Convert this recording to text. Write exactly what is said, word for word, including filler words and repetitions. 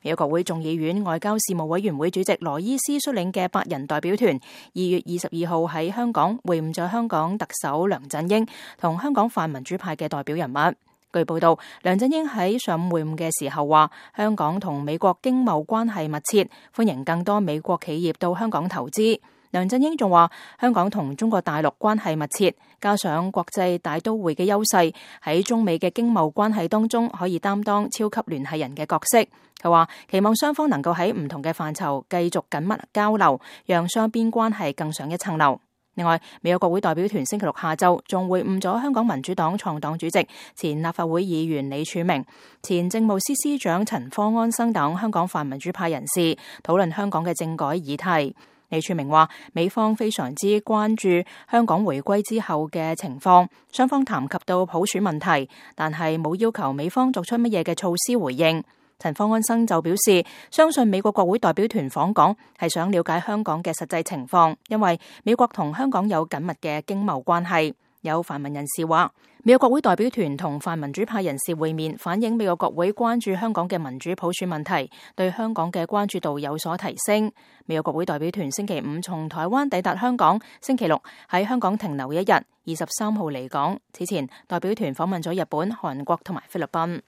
美國國會眾議院外交事務委員會主席羅伊斯率領嘅八人代表團，二月二十二號喺香港會晤咗香港特首梁振英同香港泛民主派嘅代表人物。據報道，梁振英喺上午會晤嘅時候話，香港同美國經貿關係密切，歡迎更多美國企業到香港投資。梁振英仲話，香港同中國大陸關係密切，加上國際大都會嘅優勢，喺中美嘅經貿關係當中可以擔當超級聯繫人嘅角色。佢話期望雙方能夠喺唔同嘅範疇繼續緊密交流，讓雙邊關係更上一層樓。另外，美國國會代表團星期六下晝仲會晤咗香港民主黨創黨主席、前立法會議員李柱銘、前政務司司長陳方安生等香港泛民主派人士，討論香港嘅政改議題。李柱銘話，美方非常之關注香港回歸之後嘅情況，雙方談及到普選問題，但係冇要求美方作出乜嘢嘅措施回應。陳方安生就表示，相信美國國會代表團訪港係想了解香港嘅實際情況，因為美國同香港有緊密嘅經貿關係。有泛民人士話，美國國會代表團同泛民主派人士會面，反映美國國會關注香港嘅民主普選問題，對香港嘅關注度有所提升。美國國會代表團星期五從台灣抵達香港，星期六喺香港停留一日，二十三號離港。此前，代表團訪問咗日本、韓國同埋菲律賓。